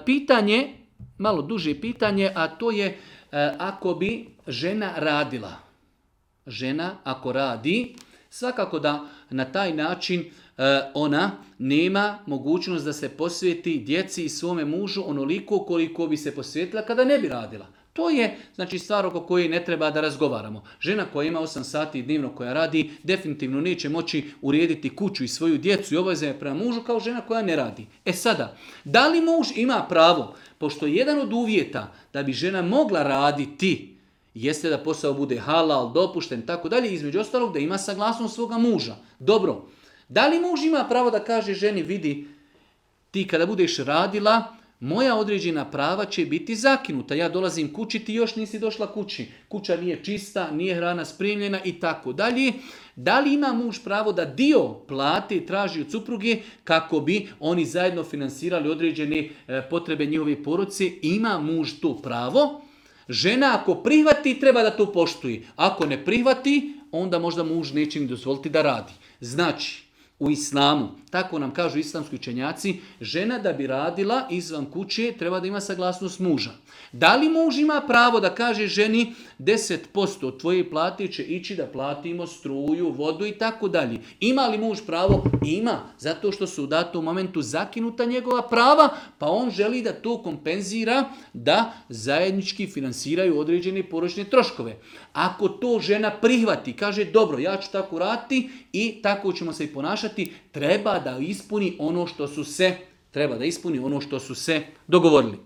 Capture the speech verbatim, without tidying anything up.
Pitanje, malo duže pitanje, a to je ako bi žena radila. Žena ako radi, svakako da na taj način ona nema mogućnost da se posveti djeci i svome mužu onoliko koliko bi se posvetila kada ne bi radila. To je znači stvar oko koje ne treba da razgovaramo. Žena koja ima osam sati dnevno koja radi definitivno neće moći urediti kuću i svoju djecu i obaveze prema mužu kao žena koja ne radi. E sada, da li muž ima pravo, pošto je jedan od uvjeta da bi žena mogla raditi, jeste da posao bude halal, dopušten, tako dalje, između ostalog da ima saglasnost svoga muža. Dobro, da li muž ima pravo da kaže ženi, vidi, ti kada budeš radila, moja određena prava će biti zakinuta. Ja dolazim kući, ti još nisi došla kući. Kuća nije čista, nije hrana spremljena i tako dalje. Da li ima muž pravo da dio plate traži od supruge kako bi oni zajedno finansirali određene potrebe njihove porodice? Ima muž to pravo. Žena ako prihvati, treba da to poštuje. Ako ne prihvati, onda možda muž neće im dozvoliti da radi. Znači, u islamu, tako nam kažu islamski učenjaci, žena da bi radila izvan kuće treba da ima saglasnost muža. Da li muž ima pravo da kaže ženi deset posto od tvoje plate će ići da platimo struju, vodu i tako dalje? Ima li muž pravo? Ima, zato što su u datom momentu zakinuta njegova prava, pa on želi da to kompenzira, da zajednički finansiraju određene porodične troškove. Ako to žena prihvati, kaže dobro, ja ću tako raditi i tako ćemo se i ponašati, treba da ispuni ono što su se, treba da ispuni ono što su se dogovorili.